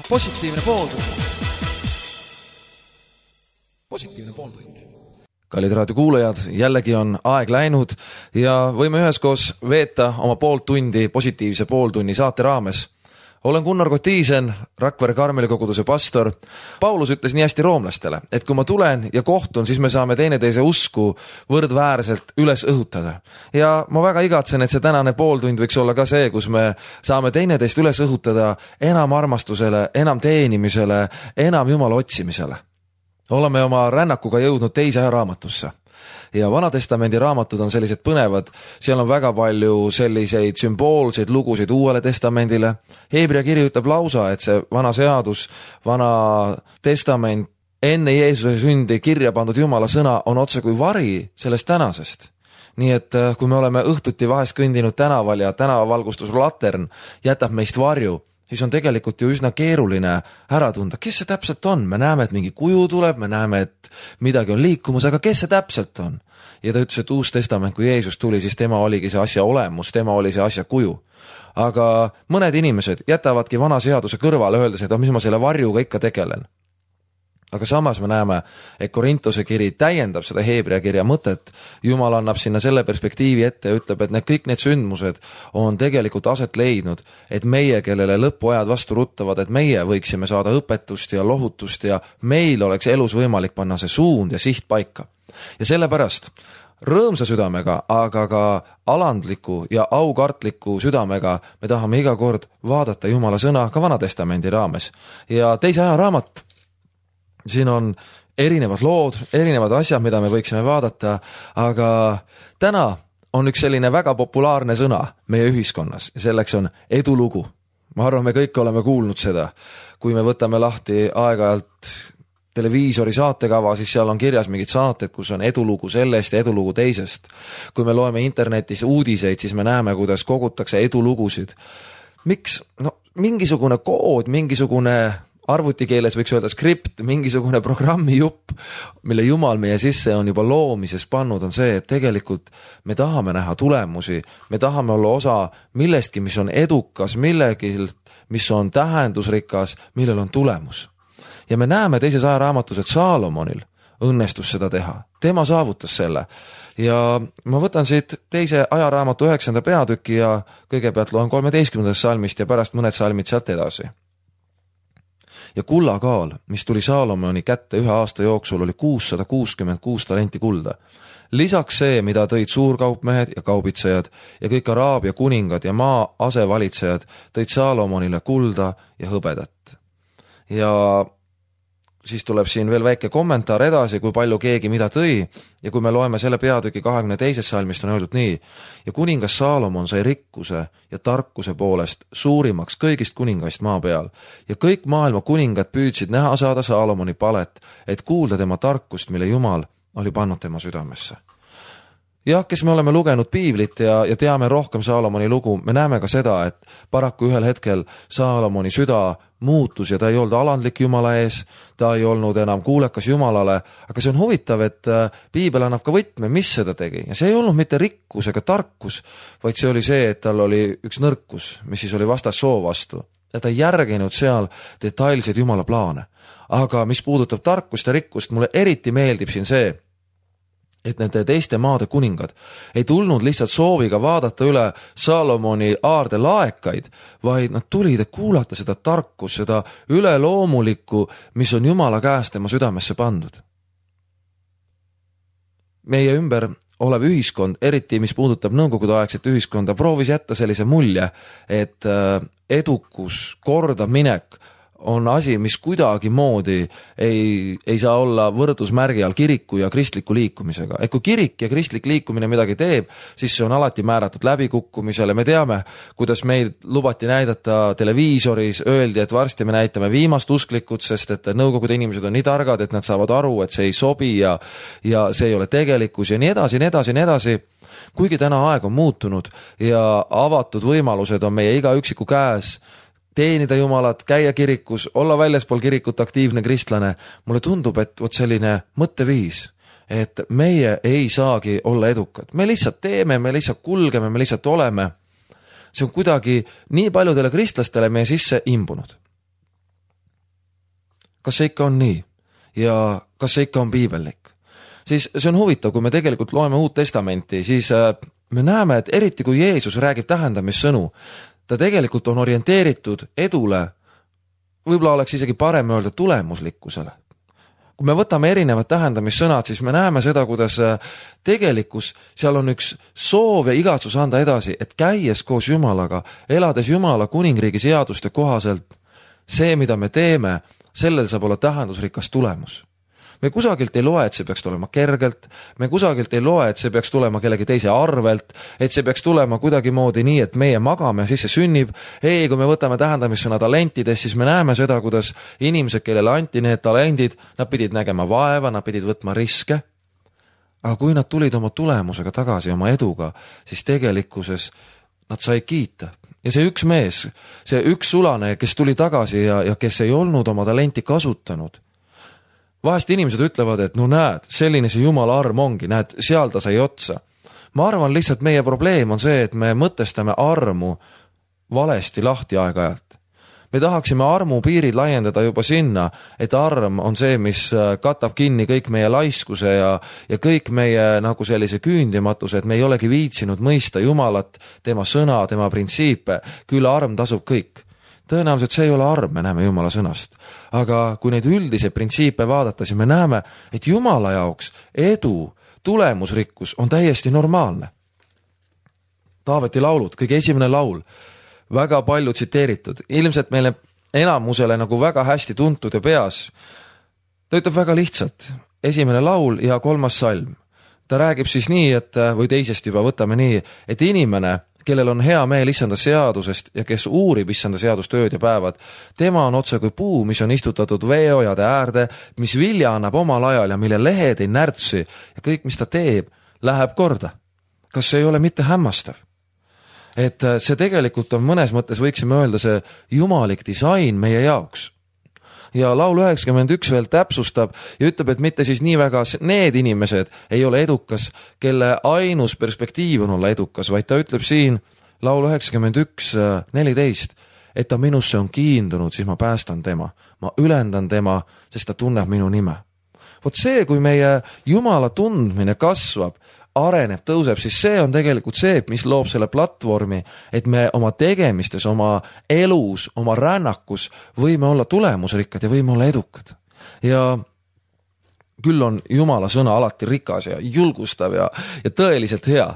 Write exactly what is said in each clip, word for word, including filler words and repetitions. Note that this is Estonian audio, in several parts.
positiivne pooltund. Positiivne pooltund. Kallid raadiokuulajad, jällegi on aeg läinud ja võime üheskoos veeta oma poolt tundi positiivse pooltunni saate raames. Olen Gunnar Kotiisen, Rakvere Karmeli koguduse pastor. Paulus ütles nii hästi roomlastele, et kui ma tulen ja kohtun, siis me saame teineteise usku võrdväärselt üles õhutada. Ja ma väga igatsen, et see tänane pooltund võiks olla ka see, kus me saame teineteist üles õhutada enam armastusele, enam teenimisele, enam Jumala otsimisele. Oleme oma rännakuga jõudnud teise aja raamatusse. Ja Vanatestamendi raamatud on sellised põnevad, seal on väga palju selliseid sümboolseid lugusid uuele testamendile. Heebrea kiri ütleb lausa, et see vana seadus, vana testament, enne Jeesuse sündi kirja pandud Jumala sõna on otse kui vari sellest tänasest. Nii et kui me oleme õhtuti vahest kõndinud tänaval ja tänavavalgustuslatern jätab meist varju, siis on tegelikult ju üsna keeruline ära tunda, kes see täpselt on. Me näeme, et mingi kuju tuleb, me näeme, et midagi on liikumus, aga kes see täpselt on? Ja ta ütles, et uus testament, kui Jeesus tuli, siis tema oligi see asja olemus, tema oli see asja kuju. Aga mõned inimesed jätavadki vana seaduse kõrvale, öeldes, et mis ma selle varjuga ikka tegelen. Aga samas me näeme, et Korintuse kiri täiendab seda Heebrea kirja mõtet. Jumal annab sinna selle perspektiivi ette ja ütleb, et need, kõik need sündmused on tegelikult aset leidnud, et meie, kellele lõpuajad vastu ruttavad, et meie võiksime saada õpetust ja lohutust ja meil oleks elus võimalik panna see suund ja siht paika. Ja sellepärast rõõmsa südamega, aga ka alandliku ja aukartliku südamega me tahame iga kord vaadata Jumala sõna ka Vanatestamendi raames. Ja teise aja raamat, siin on erinevad lood, erinevad asjad, mida me võiksime vaadata, aga täna on üks selline väga populaarne sõna meie ühiskonnas ja selleks on edulugu. Ma arvan, me kõik oleme kuulnud seda. Kui me võtame lahti aeg-ajalt televiisori saatekava, siis seal on kirjas mingid saated, kus on edulugu sellest ja edulugu teisest. Kui me loeme internetis uudiseid, siis me näeme, kuidas kogutakse edulugusid. Miks? No, mingisugune kood, mingisugune arvutikeeles võiks öelda skript, mingisugune programmi jupp, mille Jumal meie sisse on juba loomises pannud, on see, et tegelikult me tahame näha tulemusi, me tahame olla osa millestki, mis on edukas, millegilt, mis on tähendusrikas, millel on tulemus. Ja me näeme teises aja raamatus, et Saalomonil õnnestus seda teha. Tema saavutas selle. Ja ma võtan siit teise aja raamatu üheksanda peatüki ja kõigepealt loen kolmeteistkümnendast salmist ja pärast mõned salmid sealt edasi. Ja kullakaal, mis tuli Saalomoni kätte ühe aasta jooksul, oli kuussada kuuskümmend kuus talenti kulda. Lisaks see, mida tõid suurkaupmehed ja kaubitsejad ja kõik Araabia kuningad ja maa asevalitsejad, tõid Saalomonile kulda ja hõbedat. Ja siis tuleb siin veel väike kommentaar edasi, kui palju keegi mida tõi, ja kui me loeme selle peatüki kahekümne teises salmist, on öeldud nii: ja kuningas Saalomon sai rikkuse ja tarkuse poolest suurimaks kõigist kuningast maa peal, ja kõik maailma kuningad püüdsid näha saada Saalomoni palet, et kuulda tema tarkust, mille Jumal oli pannud tema südamesse. Jah, kes me oleme lugenud piiblit ja, ja teame rohkem Saalomoni lugu, me näeme ka seda, et paraku ühel hetkel Saalomoni süda muutus ja ta ei olnud alandlik Jumala ees, ta ei olnud enam kuulekas Jumalale, aga see on huvitav, et piibel annab ka võtme, mis seda tegi. Ja see ei olnud mitte rikkus ega tarkus, vaid see oli see, et tal oli üks nõrkus, mis siis oli vastas soo vastu. Ja ta ei järginud seal detailseid Jumala plaane. Aga mis puudutab tarkust ja rikkust, mulle eriti meeldib siin see, et nende teiste maade kuningad ei tulnud lihtsalt sooviga vaadata üle Saalomoni aarde laekaid, vaid nad tulid, et kuulata seda tarkust, seda üleloomulikku, mis on Jumala käest tema südamesse pandud. Meie ümber olev ühiskond, eriti mis puudutab nõukogudeaegset ühiskonda, proovis jätta sellise mulje, et edukus, kordaminek on asi, mis kuidagi moodi ei, ei saa olla võrdusmärgi all kiriku ja kristliku liikumisega. Et kui kirik ja kristlik liikumine midagi teeb, siis see on alati määratud läbikukkumisele. Me teame, kuidas meil lubati näidata televiisoris, öeldi, et varsti me näitame viimast usklikud, sest et nõukogude inimesed on nii targad, et nad saavad aru, et see ei sobi ja, ja see ei ole tegelikkus ja nii edasi, nii edasi, nii edasi. Kuigi täna aeg on muutunud ja avatud võimalused on meie iga üksiku käes, teenida Jumalat, käia kirikus, olla väljaspool kirikut aktiivne kristlane, mulle tundub, et vot selline mõtteviis, et meie ei saagi olla edukad. Me lihtsalt teeme, me lihtsalt kulgeme, me lihtsalt oleme. See on kuidagi nii paljudele kristlastele meie sisse imbunud. kas see ikka on nii ja kas see ikka on piibellik? Siis see on huvitav, kui me tegelikult loeme Uut Testamenti, siis me näeme, et eriti kui Jeesus räägib tähendamissõnu, ta tegelikult on orienteeritud edule, võib-olla oleks isegi parem öelda tulemuslikkusele. Kui me võtame erinevad tähendamissõnad, siis me näeme seda, kuidas tegelikkus seal on üks soov ja igatsus anda edasi, et käies koos Jumalaga, elades Jumala kuningriigi seaduste kohaselt, see, mida me teeme, sellel saab olla tähendusrikas tulemus. Me kusagilt ei loe, et see peaks tulema kergelt, me kusagilt ei loe, et see peaks tulema kellegi teise arvelt, et see peaks tulema kuidagi moodi nii, et meie magame ja siis see sünnib. Ei, kui me võtame tähendamissõna talentidest, siis me näeme seda, kuidas inimesed, kellele anti need talendid, nad pidid nägema vaeva, nad pidid võtma riske. Aga kui nad tulid oma tulemusega tagasi, oma eduga, siis tegelikkuses nad sai kiita. Ja see üks mees, see üks sulane, kes tuli tagasi ja, ja kes ei olnud oma talenti kasutanud, vahest inimesed ütlevad, et no näed, selline see Jumala arm ongi, näed, seal ta sai otsa. Ma arvan lihtsalt meie probleem on see, et me mõtestame armu valesti lahti aeg-ajalt. Me tahaksime armu piirid laiendada juba sinna, et arm on see, mis katab kinni kõik meie laiskuse ja, ja kõik meie nagu sellise küündimatuse, et me ei olegi viitsinud mõista Jumalat, tema sõna, tema printsiipe, küll arm tasub kõik. Tõenäoliselt see ei ole arm, me näeme Jumala sõnast. Aga kui neid üldise printsiipe vaadata, siis me näeme, et Jumala jaoks edu, tulemusrikkus on täiesti normaalne. Taaveti laulud, kõige esimene laul, väga palju tsiteeritud, ilmselt meile enamusele nagu väga hästi tuntud ja peas. Ta ütleb väga lihtsalt, esimene laul ja kolmas salm. Ta räägib siis nii, et, või teisest juba võtame nii, et inimene, kellel on hea meel issanda seadusest ja kes uurib issanda seadust ööd ja päevad, tema on otse kui puu, mis on istutatud veeojade äärde, mis vilja annab omal ajal ja mille lehed ei närtsi ja kõik, mis ta teeb, läheb korda. Kas see ei ole mitte hämmastav? Et see tegelikult on mõnes mõttes, võiksime öelda, see jumalik disain meie jaoks. Ja laul üheksakümmend üks veel täpsustab ja ütleb, et mitte siis nii väga need inimesed ei ole edukas, kelle ainus perspektiiv on olla edukas, vaid ta ütleb siin laul üheksakümmend üks neliteist, et ta minusse on kiindunud, siis ma päästan tema. Ma ülendan tema, sest ta tunneb minu nime. Vot see, kui meie Jumala tundmine kasvab, areneb, tõuseb, siis see on tegelikult see, mis loob selle platvormi, et me oma tegemistes, oma elus, oma rännakus võime olla tulemusrikkad ja võime olla edukad. Ja küll on Jumala sõna alati rikas ja julgustav ja, ja tõeliselt hea.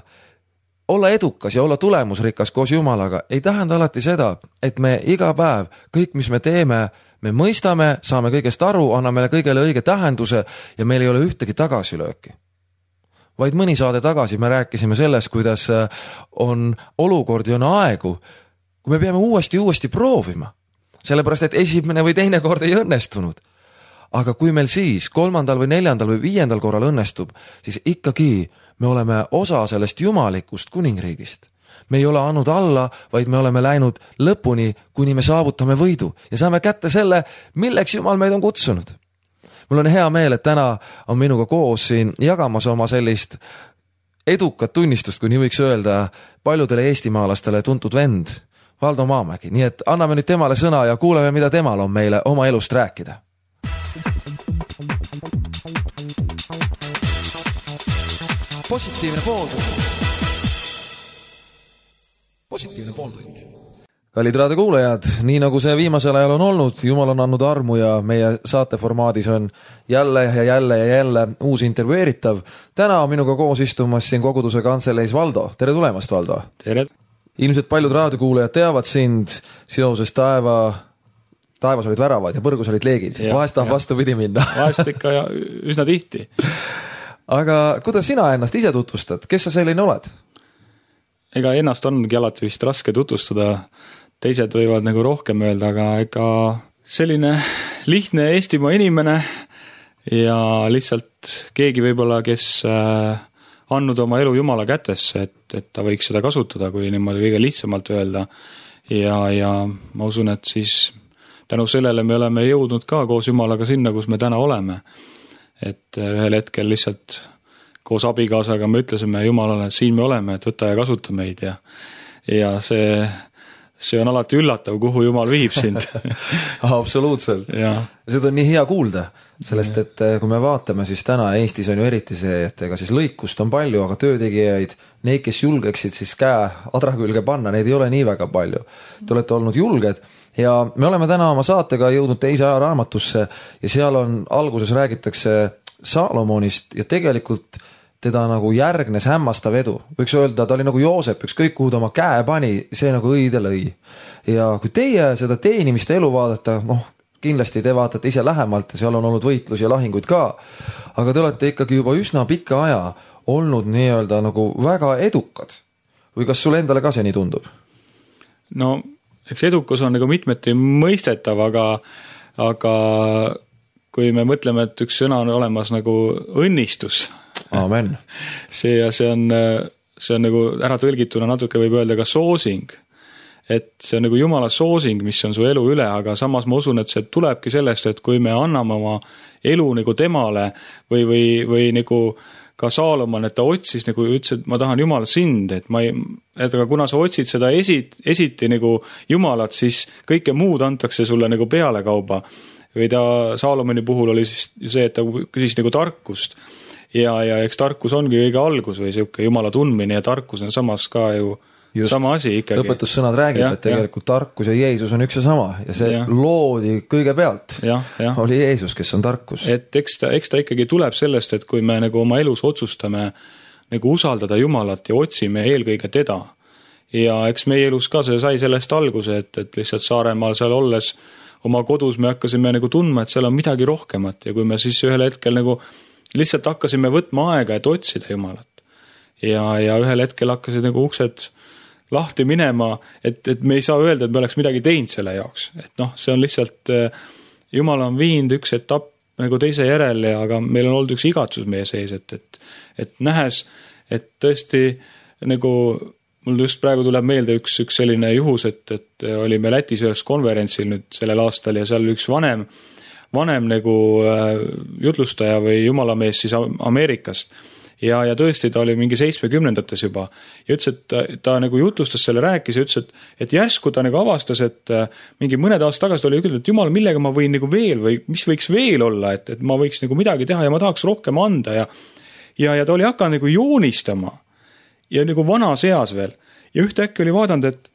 Olla edukas ja olla tulemusrikas koos Jumalaga ei tähenda alati seda, et me iga päev kõik, mis me teeme, me mõistame, saame kõigest aru, anname kõigele õige tähenduse ja meil ei ole ühtegi tagasilööki. Vaid mõni saade tagasi me rääkisime sellest, kuidas on olukord ja on aegu, kui me peame uuesti uuesti proovima, sellepärast et esimene või teine kord ei õnnestunud. Aga kui meil siis kolmandal või neljandal või viiendal korral õnnestub, siis ikkagi me oleme osa sellest jumalikust kuningriigist. Me ei ole andnud alla, vaid me oleme läinud lõpuni, kuni me saavutame võidu ja saame kätte selle, milleks Jumal meid on kutsunud. Mul on hea meel, et täna on minuga koos siin jagamas oma sellist edukat tunnistust, kui nii võiks öelda, paljudele eestimaalastele tuntud vend, Valdo Maamägi. Nii et anname nüüd temale sõna ja kuuleme, mida temal on meile oma elust rääkida. Positiivne pooltund. Positiivne pooltund. Kallid raadiokuulajad, nii nagu see viimasel ajal on olnud, Jumal on andnud armu ja meie saateformaadis on jälle ja jälle ja jälle uus intervjueeritav. Täna on minuga koos istumas siin koguduse kantseleis Valdo. Tere tulemast, Valdo! Tere! Ilmselt paljud raadiokuulajad teavad sind seoses taeva, taevas olid väravad ja põrgus olid leegid. Ja, vahest tahab vastu pidi minna. Vahest ikka ja üsna tihti. Aga kuidas sina ennast ise tutvustad? Kes sa selline oled? Ega ennast ongi alati vist raske tutvustada. Teised võivad nagu rohkem öelda, aga ega selline lihtne Eestimaa inimene ja lihtsalt keegi võib-olla, kes andnud oma elu Jumala kätesse, et, et ta võiks seda kasutada, kui niimoodi kõige lihtsamalt öelda. Ja, ja ma usun, et siis tänu sellele me oleme jõudnud ka koos Jumalaga sinna, kus me täna oleme. Et ühel hetkel lihtsalt koos abikaasaga me ütlesime Jumalale, et siin me oleme, et võta ja kasuta meid ja, ja see see on alati üllatav, kuhu Jumal viib sind. Absoluutselt. Seda on nii hea kuulda, sellest, et kui me vaatame, siis täna Eestis on ju eriti see, et ega siis lõikust on palju, aga töötegijaid, neid, kes julgeksid siis käe adra külge panna, neid ei ole nii väga palju. Te olete olnud julged ja me oleme täna oma saatega jõudnud teise ajaraamatusse ja seal on alguses räägitakse Saalomonist ja tegelikult teda nagu järgnes hämmastav edu. Võiks öelda, ta oli nagu Joosep, ükskõik kuhu ta oma käe pani, see nagu õide lõi. Ja kui teie seda teenimist elu vaadata, noh, kindlasti te vaatate ise lähemalt ja seal on olnud võitlus ja lahinguid ka, aga te olete ikkagi juba üsna pikka aja olnud nii-öelda nagu väga edukad. Või kas sulle endale ka see nii tundub? No, eks edukus on nagu mitmeti mõistetav, aga, aga kui me mõtleme, et üks sõna on olemas nagu õnnistus, Amen. see, ja see on, see on nagu ära tõlgituna natuke võib öelda ka soosing, et see on nagu Jumala soosing, mis on su elu üle, aga samas ma usun, et see tulebki sellest, et kui me anname oma elu nagu temale või, või, või nagu ka Saalomon, et ta otsis nagu ütles, et ma tahan Jumal sind, et ma ei, et aga kuna sa otsid seda esit, esiti nagu Jumalat, siis kõike muud antakse sulle nagu peale kauba. Või ta Saalomoni puhul oli siis see, et ta küsis nagu tarkust. Ja, ja eks tarkus ongi õige algus või siuke Jumala tundmine ja tarkus on samas ka ju just sama asi ikkagi. Lõpetussõnad räägib, ja, et tegelikult ja. Tarkus ja Jeesus on üks ja sama ja see ja. Loodi kõigepealt. Ja, ja. Oli Jeesus, kes on tarkus. Et eks ta, eks ta ikkagi tuleb sellest, et kui me nagu oma elus otsustame nagu usaldada Jumalat ja otsime eelkõige teda. Ja eks meie elus ka see sai sellest alguse, et, et lihtsalt Saaremaal seal olles oma kodus me hakkasime nagu tundma, et seal on midagi rohkemat ja kui me siis ühel hetkel nagu lihtsalt hakkasime võtma aega, et otsida Jumalat. Ja, ja ühel hetkel hakkasid nagu uksed lahti minema, et, et me ei saa öelda, et me oleks midagi teinud selle jaoks. Et noh, see on lihtsalt, Jumal on viinud üks etapp nagu teise järel, ja, aga meil on olnud üks igatsus meie sees, et, et, et nähes, et tõesti nagu mul just praegu tuleb meelde üks, üks selline juhus, et, et olime Lätis ühes konverentsil nüüd sellel aastal ja seal üks vanem vanem nagu jutlustaja või jumalamees siis Ameerikast ja, ja tõesti ta oli mingi seitsmekümnendates juba ja ütles, et ta, ta nagu jutlustas selle rääkis ja ütles, et, et järsku ta nagu avastas, et mingi mõned aasta tagasi oli ütelnud, et Jumal, millega ma võin nagu veel või mis võiks veel olla, et, et ma võiks nagu midagi teha ja ma tahaks rohkem anda ja, ja, ja ta oli hakanud nagu joonistama ja nagu vanas eas veel ja ühtäkki oli vaadanud, et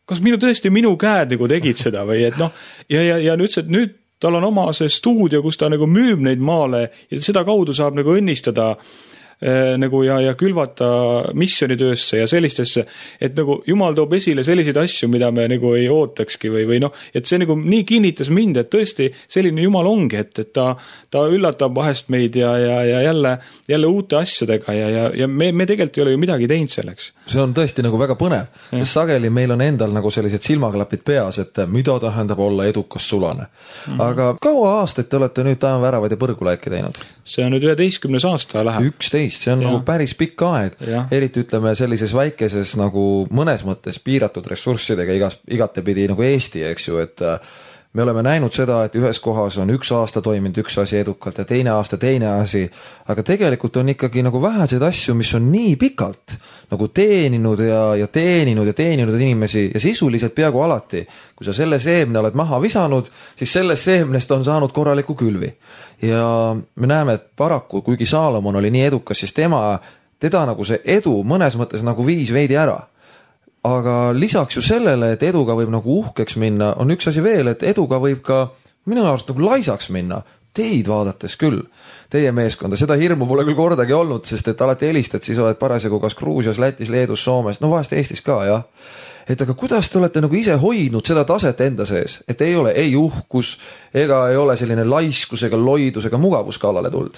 kas minu tõesti minu käed nagu tegid seda või et noh ja, ja, ja nüüd ütles, et nüüd tal on oma see stuudio, kus ta nagu müüb neid maale ja seda kaudu saab nagu õnnistada äh, nagu ja, ja külvata missionitöösse ja sellistesse, et nagu Jumal toob esile selliseid asju, mida me nagu ei ootakski või, või noh, et see nagu nii kinnitas mind, et tõesti selline Jumal ongi, et, et ta, ta üllatab vahest meid ja, ja, ja jälle, jälle uute asjadega ja, ja, ja me, me tegelikult ei ole ju midagi teinud selleks. See on tõesti nagu väga põnev, sest sageli meil on endal nagu sellised silmaklapid peas, et mida tähendab olla edukas sulane. Mm-hmm. Aga kaua aastaid te olete nüüd taevaväravad ja põrgulaiki teinud? See on nüüd üheteistkümnes aasta läheb. üksteist, see on ja. Nagu päris pikk aeg. Ja. Eriti ütleme sellises väikeses nagu mõnes mõttes piiratud ressurssidega igas, igatepidi nagu Eesti, eks ju, et me oleme näinud seda, et ühes kohas on üks aasta toiminud üks asi edukalt ja teine aasta teine asi, aga tegelikult on ikkagi nagu väheseid asju, mis on nii pikalt nagu teeninud ja, ja teeninud ja teeninud inimesi ja sisuliselt peaaegu alati. Kui sa selle seemne oled maha visanud, siis sellest seemnest on saanud korraliku külvi. Ja me näeme, et paraku, kuigi Saalomon oli nii edukas, siis tema, teda nagu see edu mõnes mõttes nagu viis veidi ära. Aga lisaks ju sellele, et eduga võib nagu uhkeks minna, on üks asi veel, et eduga võib ka minu arust nagu laisaks minna. Teid vaadates küll, teie meeskonda, seda hirmu pole küll kordagi olnud, sest et alati helistad, siis oled parasjagu kas Gruusias, Lätis, Leedus, Soomes, no vahest Eestis ka, jah. Et aga kuidas te olete nagu ise hoidnud seda taset enda sees, et ei ole ei uhkus, ega ei ole selline laiskus ega loidus ega mugavus kallale tuld?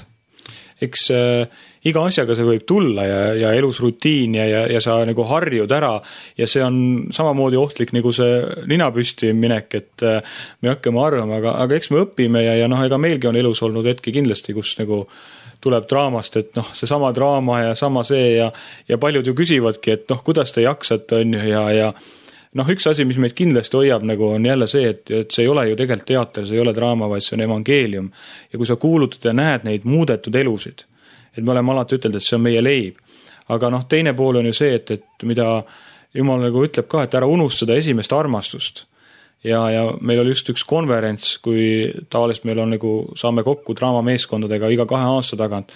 Eks äh, iga asjaga see võib tulla ja, ja elus rutiin ja, ja, ja sa nagu harjud ära ja see on samamoodi ohtlik nagu see ninapüsti minek, et äh, me hakkame arvama, aga, aga eks me õpime ja, ja noh, ega meilgi on elus olnud hetki kindlasti, kus nagu tuleb draamast, et noh, see sama draama ja sama see ja, ja paljud ju küsivadki, et noh, kuidas te jaksate on ju ja, ja noh, üks asi, mis meid kindlasti hoiab, nagu on jälle see, et, et see ei ole ju tegelikult teater, see ei ole draama, vaid see on evangeelium. Ja kui sa kuulutad ja näed neid muudetud elusid, et me oleme alati ütelnud, et see on meie leib. Aga noh, teine pool on ju see, et, et mida Jumal nagu ütleb ka, et ära unustada esimest armastust. Ja, ja meil oli just üks konverents, kui tavaliselt meil on nagu, saame kokku draamameeskondadega iga kahe aasta tagant,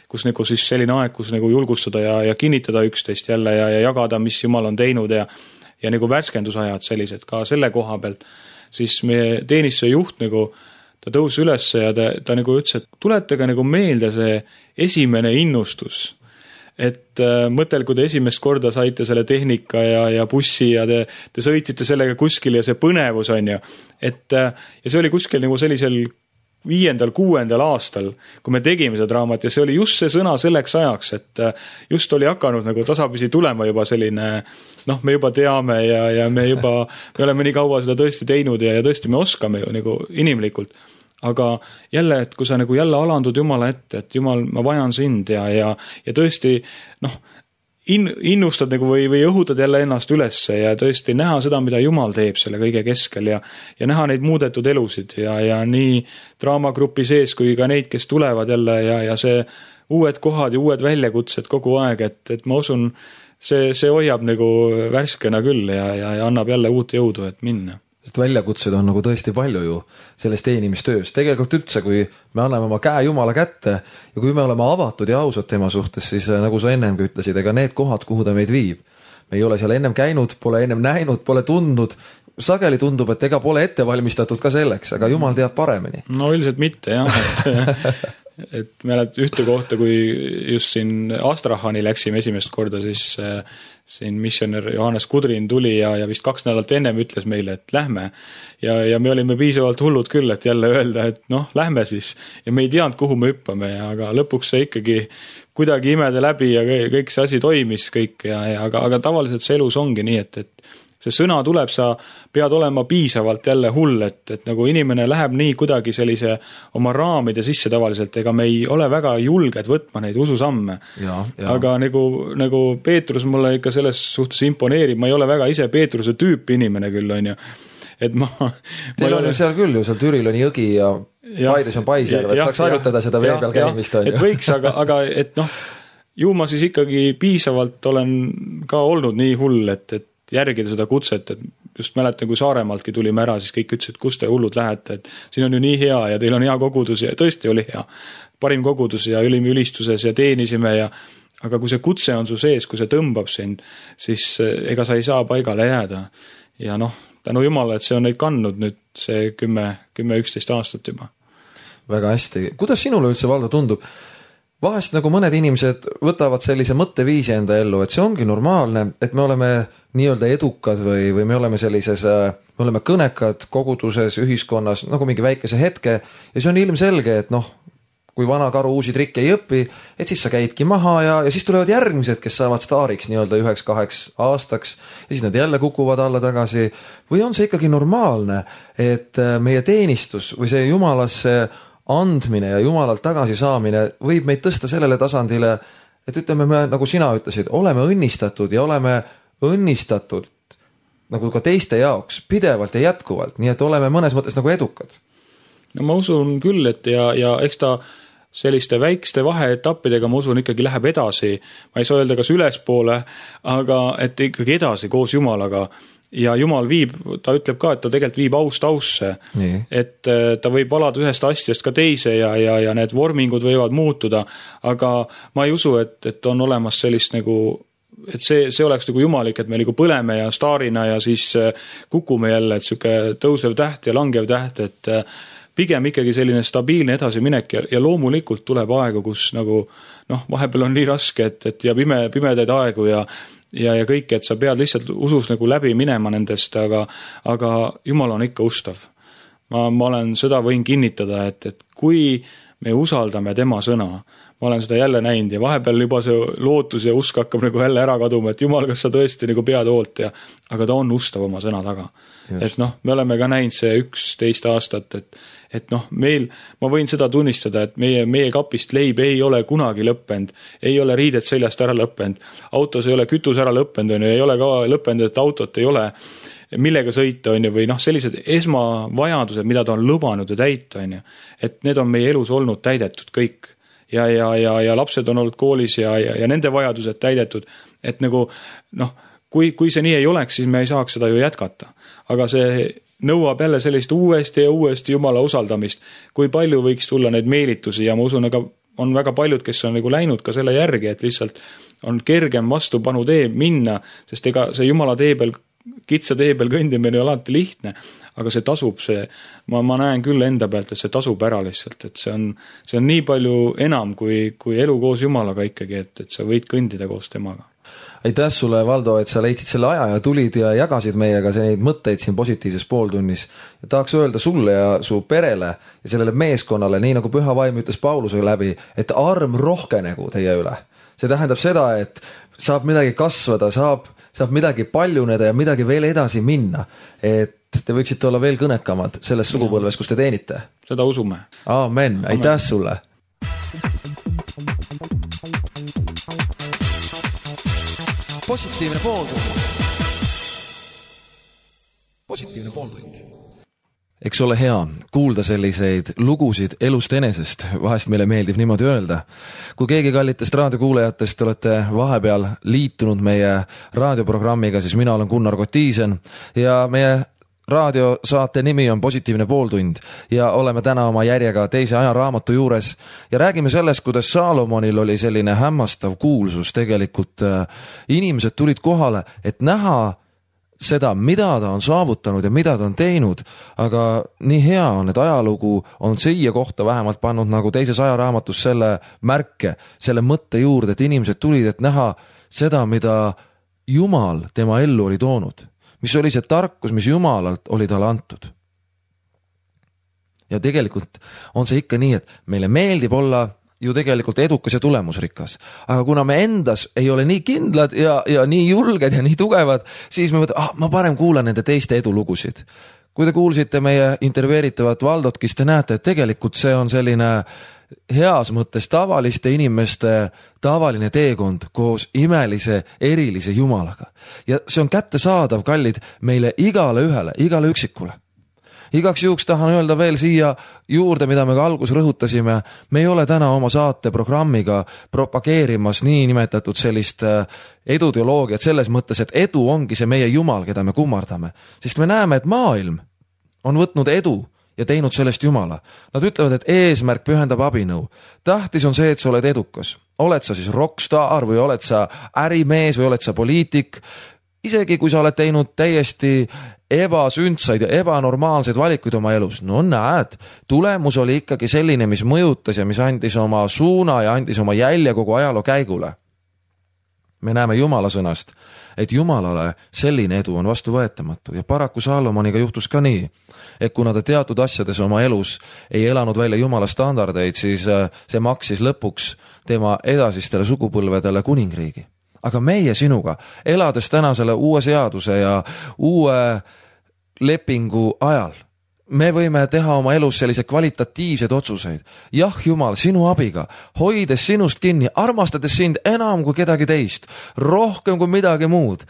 kus nagu siis selline aeg, kus nagu julgustada ja, ja kinnitada üksteist jälle ja, ja jagada, mis Jumal on teinud ja, ja nagu värskendusajad sellised ka selle koha pealt, siis meie teenistuse juht nagu, ta tõus üles ja ta, ta nagu ütles, et tuletage nagu meelde see esimene innustus. Et äh, mõtel, kui te esimest korda saite selle tehnika ja, ja bussi ja te, te sõitsite sellega kuskil ja see põnevus on ju. Et, äh, ja see oli kuskil nagu sellisel viiendal, kuuendal aastal, kui me tegime seda draamat ja see oli just see sõna selleks ajaks, et äh, just oli hakanud nagu tasapisi tulema juba selline, noh, me juba teame ja, ja me juba, me oleme nii kaua seda tõesti teinud ja, ja tõesti me oskame ju nagu inimlikult. Aga jälle, et kui sa nagu jälle alandud Jumala ette, et Jumal, ma vajan sind ja, ja, ja tõesti, noh, in, innustad nagu või, või õhutad jälle ennast ülesse ja tõesti näha seda, mida Jumal teeb selle kõige keskel ja, ja näha neid muudetud elusid ja, ja nii draamagrupi sees kui ka neid, kes tulevad jälle ja, ja see uued kohad ja uued väljakutsed kogu aeg, et, et ma usun, see, see hoiab nagu värskena küll ja, ja, ja annab jälle uut jõudu, et minna. Sest väljakutsed on nagu tõesti palju ju selles teenimistöös. Tegelikult üldse, kui me anname oma käe Jumala kätte ja kui me oleme avatud ja ausad tema suhtes, siis nagu sa ennemgi ütlesid, ega need kohad, kuhu ta meid viib. Me ei ole seal ennem käinud, pole ennem näinud, pole tundnud. Sageli tundub, et ega pole ette valmistatud ka selleks, aga Jumal teab paremini. No üldiselt mitte, jah. Et, et me oled ühte kohta, kui just siin Astrahani läksime esimest korda, siis siin missionär Johannes Kudrin tuli ja, ja vist kaks nädalat ennem ütles meile, et lähme. Ja, ja me olime piisavalt hullud küll, et jälle öelda, et noh, lähme siis. Ja me ei teadnud, kuhu me hüppame, aga lõpuks see ikkagi kuidagi imede läbi ja kõik see asi toimis kõik. Ja, ja, aga, aga tavaliselt see elus ongi nii, et, et see sõna tuleb, sa pead olema piisavalt jälle hull, et, et nagu inimene läheb nii kuidagi sellise oma raamide sisse tavaliselt, ega me ei ole väga julged võtma neid ususamme. Ja, ja. Aga nagu, nagu Peetrus mulle ikka selles suhtes imponeerib, ma ei ole väga ise Peetruse tüüp inimene küll, on ju. Et ma, Teil ma on ju seal küll ju, seal Türil on jõgi ja, ja Paides on Paisjärv, et saaks harjutada seda vee peal käimist. Et võiks, aga, aga et noh, ju ma siis ikkagi piisavalt olen ka olnud nii hull, et, et järgida seda kutset, et just mäletan, kui Saaremaaltki tulime ära, siis kõik ütlesid, kus te hullud lähete, et siin on ju nii hea ja teil on hea kogudus ja tõesti oli hea. Parim kogudus ja olime ülistuses ja teenisime ja aga kui see kutse on su sees, kui see tõmbab sind, siis ega sa ei saa paigale jääda. Ja noh, tänu Jumala, et see on neid kandnud nüüd see kümme, kümme, üksteist aastat juba. Väga hästi. Kuidas sinule üldse, Valdo, tundub? Vahest nagu mõned inimesed võtavad sellise mõtteviisi enda ellu, et see ongi normaalne, et me oleme nii-öelda edukad või, või me oleme sellises, me oleme kõnekad koguduses, ühiskonnas, nagu mingi väikese hetke ja see on ilmselge, et noh, kui vana karu uusi trikke ei õpi, et siis sa käidki maha ja, ja siis tulevad järgmised, kes saavad staariks nii-öelda üheks kaheks aastaks ja siis nad jälle kukuvad alla tagasi. Või on see ikkagi normaalne, et meie teenistus või see Jumalasse andmine ja Jumalalt tagasi saamine võib meid tõsta sellele tasandile, et ütleme me, nagu sina ütlesid, oleme õnnistatud ja oleme õnnistatud nagu ka teiste jaoks pidevalt ja jätkuvalt, nii et oleme mõnes mõttes nagu edukad. No ma usun küll, et ja, ja eks ta selliste väikeste vaheetappidega ma usun ikkagi läheb edasi, ma ei saa öelda kas ülespoole, aga et ikkagi edasi koos Jumalaga. Ja Jumal viib, ta ütleb ka, et ta tegelikult viib aust ausse, nii. Et ta võib valada ühest asjast ka teise ja, ja, ja need vormingud võivad muutuda, aga ma ei usu, et, et on olemas sellist nagu, et see, see oleks nagu jumalik, et me nagu põleme ja staarina ja siis kukume jälle, et siuke tõusev täht ja langev täht, et pigem ikkagi selline stabiilne edasiminek ja, ja loomulikult tuleb aegu, kus nagu, noh, vahepeal on nii raske, et, et ja pime, pimedaid aegu ja ja, ja kõik, et sa pead lihtsalt usus nagu läbi minema nendest, aga, aga Jumal on ikka ustav. Ma, ma olen seda võin kinnitada, et, et kui me usaldame tema sõna, ma olen seda jälle näinud ja vahepeal juba see lootus ja usk hakkab nagu jälle ära kaduma, et Jumal, kas sa tõesti nagu pead hoolt ja, aga ta on ustav oma sõna taga. Just. Et noh, me oleme ka näinud see üksteist aastat, et, et noh, meil, ma võin seda tunnistada, et meie, meie kapist leib ei ole kunagi lõppend, ei ole riidet seljast ära lõppend, autos ei ole kütus ära lõppend, on ju, ei ole ka lõppend, et autot ei ole, millega sõita, on ju, või noh, sellised esmavajadused, mida ta on lubanud ja täita, on ju, et need on meie elus olnud täidetud kõik. Ja, ja, ja, ja lapsed on olnud koolis ja, ja, ja nende vajadused täidetud, et nagu, noh, kui, kui see nii ei oleks, siis me ei saaks seda ju jätkata. Aga see nõuab jälle sellist uuesti ja uuesti Jumala usaldamist. Kui palju võiks tulla neid meelitusi ja ma usun, aga on väga paljud, kes on nagu läinud ka selle järgi, et lihtsalt on kergem vastupanu tee minna, sest ega see Jumala tee peal, kitsa tee peal kõndimine ei ole alati lihtne, aga see tasub, see, ma, ma näen küll enda pealt, et see tasub ära lihtsalt, et see on, see on nii palju enam kui, kui elu koos Jumalaga ikkagi, et, et sa võid kõndida koos temaga. Aitäh sulle, Valdo, et sa leidsid selle aja ja tulid ja jagasid meiega neid mõtteid siin positiivses pooltunnis. Ja tahaks öelda sulle ja su perele ja sellele meeskonnale, nii nagu Püha Vaim ütles Pauluse läbi, et arm rohkenegu teie üle. See tähendab seda, et saab midagi kasvada, saab, saab midagi paljuneda ja midagi veel edasi minna. Et te võiksite olla veel kõnekamad selles sugupõlves, kus te teenite. Seda usume. Amen. Aitäh Amen. Sulle. Positiivne pooltund. Positiivne pooltund. Eks ole hea kuulda selliseid lugusid elust enesest, vahest meile meeldib niimoodi öelda. Kui keegi kallitest raadiokuulajatest olete vahepeal liitunud meie raadioprogrammiga, siis mina olen Gunnar Kotiisen ja meie raadiosaate nimi on Positiivne pooltund ja oleme täna oma järjega teise ajaraamatu juures ja räägime sellest, kuidas Saalomonil oli selline hämmastav kuulsus. Tegelikult inimesed tulid kohale, et näha seda, mida ta on saavutanud ja mida ta on teinud, aga nii hea on, et ajalugu on siia kohta vähemalt pannud nagu teises ajaraamatus selle märke, selle mõtte juurde, et inimesed tulid, et näha seda, mida Jumal tema ellu oli toonud. Mis oli see tarkus, mis Jumalalt oli talle antud. Ja tegelikult on see ikka nii, et meile meeldib olla ju tegelikult edukas ja tulemusrikas. Aga kuna me endas ei ole nii kindlad ja, ja nii julged ja nii tugevad, siis me mõtleme, ah, ma parem kuulan nende teiste edulugusid. Kui te kuulsite meie intervjueeritavat Valdot, kes te näete, et tegelikult see on selline heas mõttes tavaliste inimeste tavaline teekond koos imelise, erilise Jumalaga. Ja see on kättesaadav, kallid, meile igale ühele, igale üksikule. Igaks juhuks tahan öelda veel siia juurde, mida me ka algus rõhutasime. Me ei ole täna oma saate programmiga propageerimas nii nimetatud sellist eduteoloogiat selles mõttes, et edu ongi see meie Jumal, keda me kummardame. Sest me näeme, et maailm on võtnud edu ja teinud sellest Jumala. Nad ütlevad, et eesmärk pühendab abinõu. Tähtis on see, et sa oled edukas. Oled sa siis rockstar või oled sa ärimees või oled sa poliitik. Isegi kui sa oled teinud täiesti ebasündsaid ja ebanormaalseid valikuid oma elus. No näed, tulemus oli ikkagi selline, mis mõjutas ja mis andis oma suuna ja andis oma jälje kogu ajaloo käigule. Me näeme Jumala sõnast, et Jumalale selline edu on vastuvõetamatu ja paraku Saalomoniga juhtus ka nii, et kuna ta teatud asjades oma elus ei elanud välja Jumala standardeid, siis see maksis lõpuks tema edasistele sugupõlvedele kuningriigi. Aga meie sinuga, elades täna selle uue seaduse ja uue lepingu ajal, me võime teha oma elus sellise kvalitatiivsed otsuseid. Jah, Jumal, sinu abiga, hoides sinust kinni, armastades sind enam kui kedagi teist, rohkem kui midagi muud.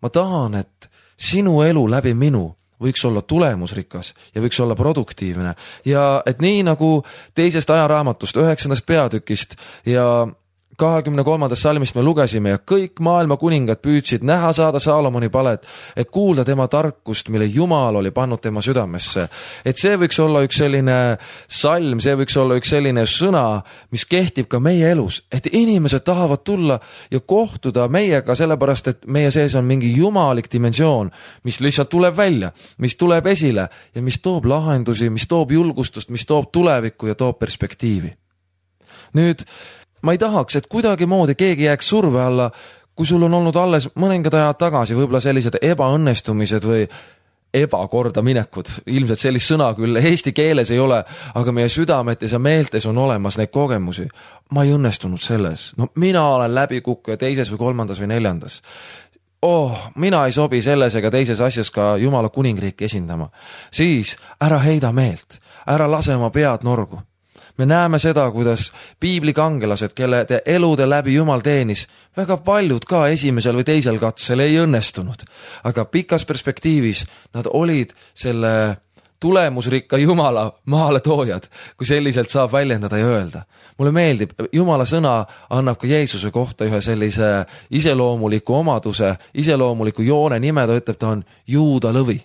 Ma tahan, et sinu elu läbi minu võiks olla tulemusrikas ja võiks olla produktiivne. Ja et nii nagu teisest ajaraamatust, üheksandast peatükist ja kahekümne kolmandast salmist me lugesime ja kõik maailma kuningad püüdsid näha saada Saalomoni palet, et kuulda tema tarkust, mille Jumal oli pannud tema südamesse. Et see võiks olla üks selline salm, see võiks olla üks selline sõna, mis kehtib ka meie elus, et inimesed tahavad tulla ja kohtuda meiega sellepärast, et meie sees on mingi jumalik dimensioon, mis lihtsalt tuleb välja, mis tuleb esile ja mis toob lahendusi, mis toob julgustust, mis toob tulevikku ja toob perspektiivi. Nüüd ma ei tahaks, et kuidagi moodi keegi jääks surve alla, kui sul on olnud alles mõningad ajad tagasi võib-olla sellised ebaõnnestumised või ebakorda minekud. Ilmselt sellist sõna küll eesti keeles ei ole, aga meie südametes ja meeltes on olemas neid kogemusi. Ma ei õnnestunud selles. No mina olen läbikukkuja teises või kolmandas või neljandas. Oh, mina ei sobi selles ega teises asjas ka Jumala kuningriiki esindama. Siis ära heida meelt, ära lase oma pead norgu. Me näeme seda, kuidas piiblikangelased, kelle te elude läbi Jumal teenis, väga paljud ka esimesel või teisel katsel ei õnnestunud. Aga pikas perspektiivis nad olid selle tulemusrikka Jumala maale toojad, kui selliselt saab väljendada ja öelda. Mulle meeldib, Jumala sõna annab ka Jeesuse kohta ühe sellise iseloomuliku omaduse, iseloomuliku joone nime, ta ütleb, ta on Juuda lõvi.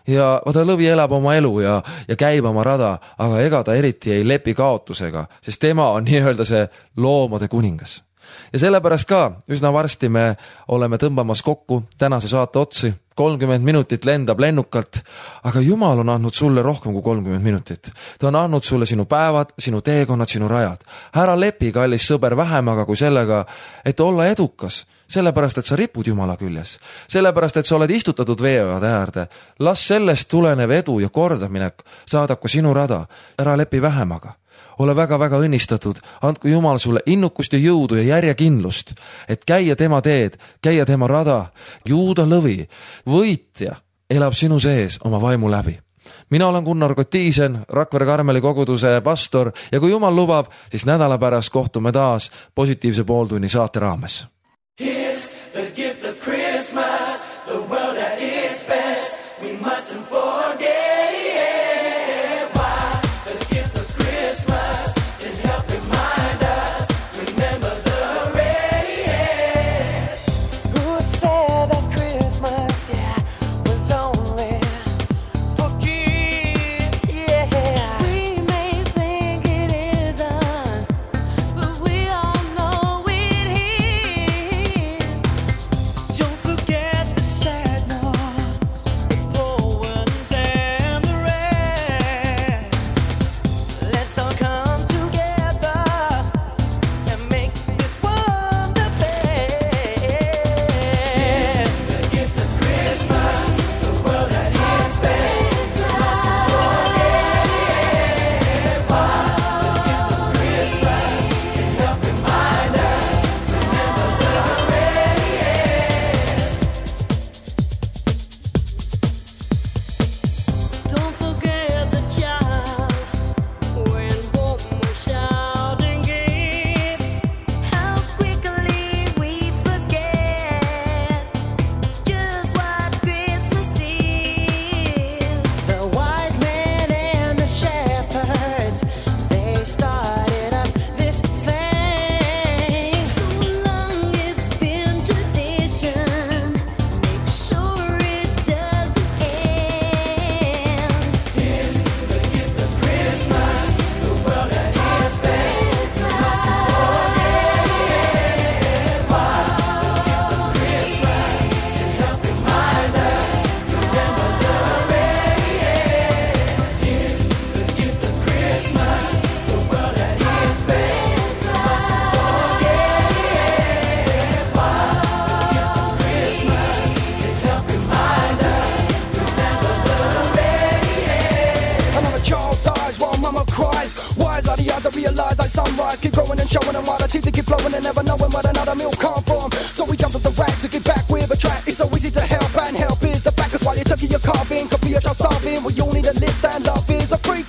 Ja vaata, lõvi elab oma elu ja, ja käib oma rada, aga ega ta eriti ei lepi kaotusega, sest tema on nii-öelda see loomade kuningas. Ja sellepärast ka üsna varsti me oleme tõmbamas kokku tänase saate otsi. kolmkümmend minutit lendab lennukalt, aga Jumal on andnud sulle rohkem kui kolmkümmend minutit. Ta on andnud sulle sinu päevad, sinu teekonnad, sinu rajad. Ära lepi, kallis sõber, vähemaga kui sellega, et olla edukas, sellepärast, et sa ripud Jumala küljes. Sellepärast, et sa oled istutatud veeoade äärde. Las sellest tulenev edu ja kordaminek saadab ka sinu rada. Ära lepi vähemaga. Ole väga-väga õnnistatud, andku Jumal sulle innukust ja jõudu ja järjekindlust, et käia tema teed, käia tema rada. Juuda lõvi, võitja, elab sinu sees oma vaimu läbi. Mina olen Gunnar Kotiisen, Rakvere Karmeli koguduse pastor ja kui Jumal lubab, siis nädala pärast kohtume taas positiivse pooltunni saate raames. Here's the gift of Christmas, the world at its best, we mustn't forget. Sunrise, keep growing and showing them while the teeth keep flowing and never knowing where another meal come from. So we jump at the rack to get back with a track. It's so easy to help, and help is the fact. Cause while you're tucking your carving, could be a child starving. We all need to live and love is a free